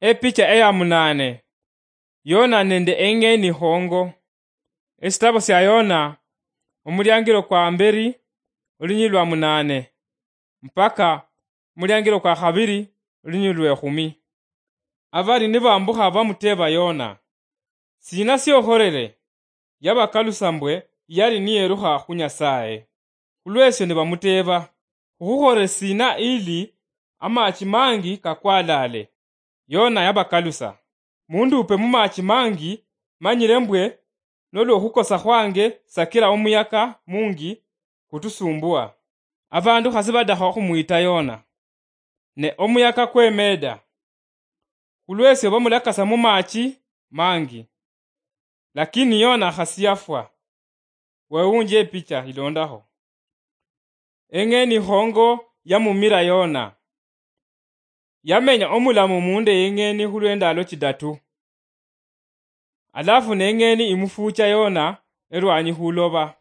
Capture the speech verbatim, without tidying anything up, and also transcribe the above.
Epicha eya munaane. Yona nende eng'eni khongo. Esitabo sia Yona, omuliangilo kwa mberi, olunyili lwa munaane, mpaka omuliangilo kwa khabiri, olunyili lwe khumi. Abali nibambukha bamuteeba Yona, "Sina siokholele?" Yabakalusa mbwe yali niyelukha khu Nyasaye. Khulwesyo nibamuteeba, "Khukhukholele sina ili amachi mangi kakwalale?" Yona yabakalusa, "Mundupe mumachi mangi, manyile mbwe nolwo okhukosa khwange sakila omuyaka mungi kutusumbua." Abandu khasi badakha okhumwita Yona. Ne omuyaka kwemeeda. Khulwesyo bamulakasa mumachi mangi. Lakini Yona khasi yafwa. Wewunje epicha ilondakho. Eng'eni khongo yamumira Yona. Yamenya omulamu munda yeng'eni khulwendalo chidatu. Alafu neng'eni imufucha Yona elwanyi khuloba.